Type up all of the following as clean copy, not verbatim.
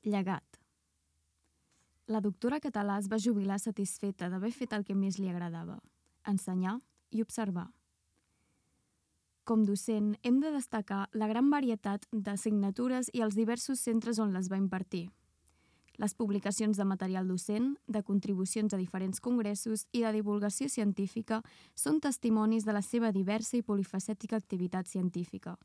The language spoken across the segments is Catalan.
Llegat. La doctora Català es va jubilar satisfeta d'haver fet el que més li agradava, ensenyar i observar. Com docent, hem de destacar la gran varietat d'assignatures i els diversos centres on les va impartir. Les publicacions de material docent, de contribucions a diferents congressos i de divulgació científica són testimonis de la seva diversa i polifacètica activitat científica.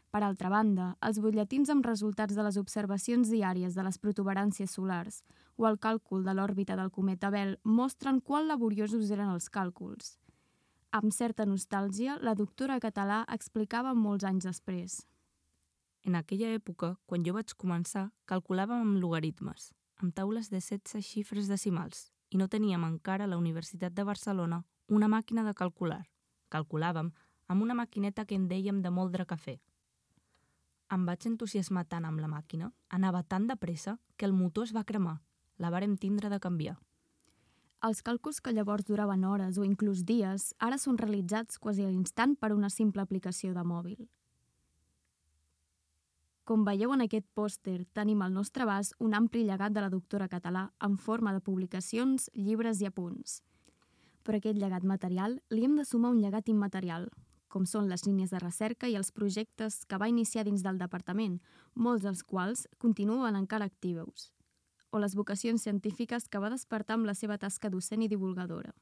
Per altra banda, els butlletins amb resultats de les observacions diàries de les protuberàncies solars o el càlcul de l'òrbita del cometa Bell mostren quant laboriosos eren els càlculs. Amb certa nostàlgia, la doctora Català explicava molts anys després. En aquella època, quan jo vaig començar, calculàvem amb logaritmes, amb taules de 16 xifres decimals, i no teníem encara a la Universitat de Barcelona una màquina de calcular. Calculàvem amb una maquineta que en dèiem de moldre cafè. Em vaig entusiasmar tant amb la màquina, anava tan de pressa, que el motor es va cremar. La vàrem tindre de canviar. Els càlculs que llavors duraven hores o inclús dies ara són realitzats quasi a l'instant per una simple aplicació de mòbil. Com veieu en aquest pòster, tenim al nostre abast un ampli llegat de la doctora Català en forma de publicacions, llibres i apunts. Però a aquest llegat material li hem de sumar un llegat immaterial, com són les línies de recerca i els projectes que va iniciar dins del departament, molts dels quals continuen encara actius, o les vocacions científiques que va despertar amb la seva tasca docent i divulgadora.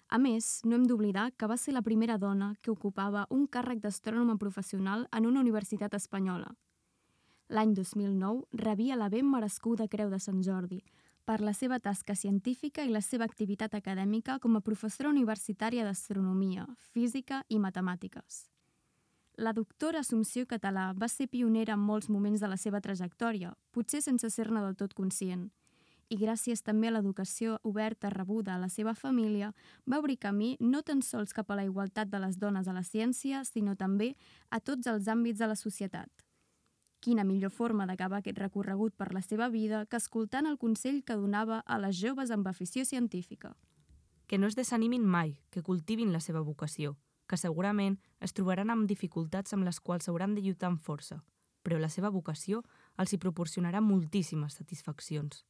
A més, no hem d'oblidar que va ser la primera dona que ocupava un càrrec d'astrònoma professional en una universitat espanyola. L'any 2009 rebia la ben merescuda Creu de Sant Jordi per la seva tasca científica i la seva activitat acadèmica com a professora universitària d'astronomia, física i matemàtiques. La doctora Assumpció Català va ser pionera en molts moments de la seva trajectòria, potser sense ser-ne del tot conscient, i gràcies també a l'educació oberta rebuda a la seva família, va obrir camí no tan sols cap a la igualtat de les dones a la ciència, sinó també a tots els àmbits de la societat. Quina millor forma d'acabar aquest recorregut per la seva vida que escoltant el consell que donava a les joves amb afició científica. Que no es desanimin mai, que cultivin la seva vocació, que segurament es trobaran amb dificultats amb les quals s'hauran de lluitar amb força, però la seva vocació els hi proporcionarà moltíssimes satisfaccions.